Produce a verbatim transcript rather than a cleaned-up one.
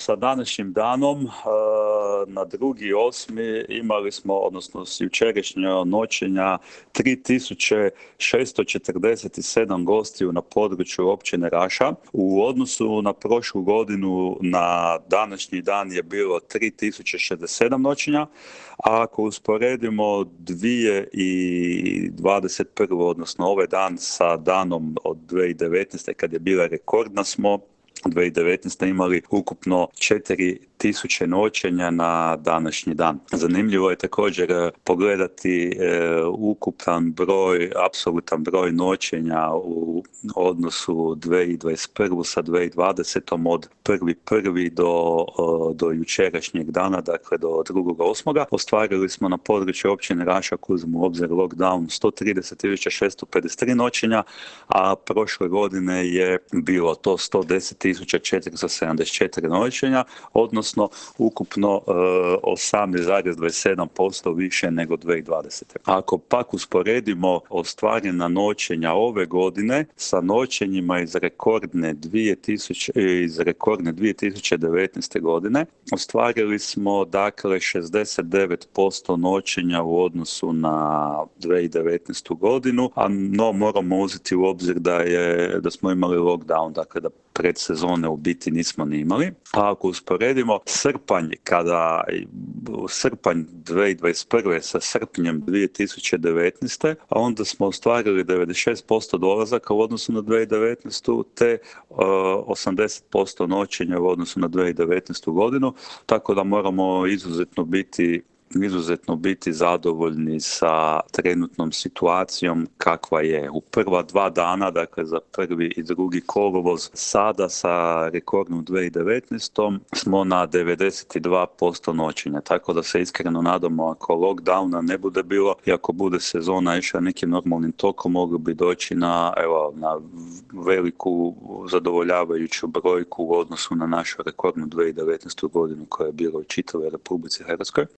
sa današnjim danom, na drugi osmi imali smo, odnosno s jučerašnjeg noćenja, tri tisuće šesto četrdeset sedam gostiju na području općine Raša. U odnosu na prošlu godinu na današnji dan je bilo tri tisuće šezdeset sedam noćenja, a ako usporedimo dvije tisuće dvadeset prve. odnosno ovaj dan sa danom od dvije tisuće devetnaeste. kad je bila rekordna smo dvije tisuće devetnaeste. imali ukupno četiri tisuće noćenja na današnji dan. Zanimljivo je također pogledati e, ukupan broj, apsolutan broj noćenja u odnosu dvije tisuće dvadeset prve. sa dvije tisuće dvadesete. od prvi prvi do, do jučerašnjeg dana, dakle do drugog osmog. Ostvarili smo na području općine Raša, ako uzmemo u obzir lockdown, sto trideset tisuća šesto pedeset tri noćenja, a prošle godine je bilo to sto deset tisuća četiristo sedamdeset četiri noćenja, odnosno ukupno e, osamnaest zarez dvadeset sedam posto više nego dvije tisuće dvadesete. Ako pak usporedimo ostvarena noćenja ove godine sa noćenjima iz rekordne dvije tisuće, iz rekordne dvije tisuće devetnaeste. godine, ostvarili smo dakle šezdeset devet posto noćenja u odnosu na dvije tisuće devetnaestu. godinu, a no moramo uzeti u obzir da je da smo imali lockdown, dakle da predsezone u biti nismo ni imali. A ako usporedimo srpanj, kada srpanj dvije tisuće dvadeset prve. sa srpnjem dvije tisuće devetnaeste. a onda smo ostvarili devedeset šest posto dolazaka u odnosu na dvije tisuće devetnaestu. te uh, osamdeset posto noćenja u odnosu na dvije tisuće devetnaestu. godinu, tako da moramo izuzetno biti izuzetno biti zadovoljni sa trenutnom situacijom kakva je. U prva dva dana, dakle za prvi i drugi kolovoz, sada sa rekordnom dvije tisuće devetnaestom. smo na devedeset dva posto noćenja, tako da se iskreno nadamo, ako lockdowna ne bude bilo i ako bude sezona išla nekim normalnim tokom, mogli bi doći na, evo, na veliku zadovoljavajuću brojku u odnosu na našu rekordnu dvije tisuće devetnaestu. godinu koja je bila u čitavoj Republici Hrvatskoj.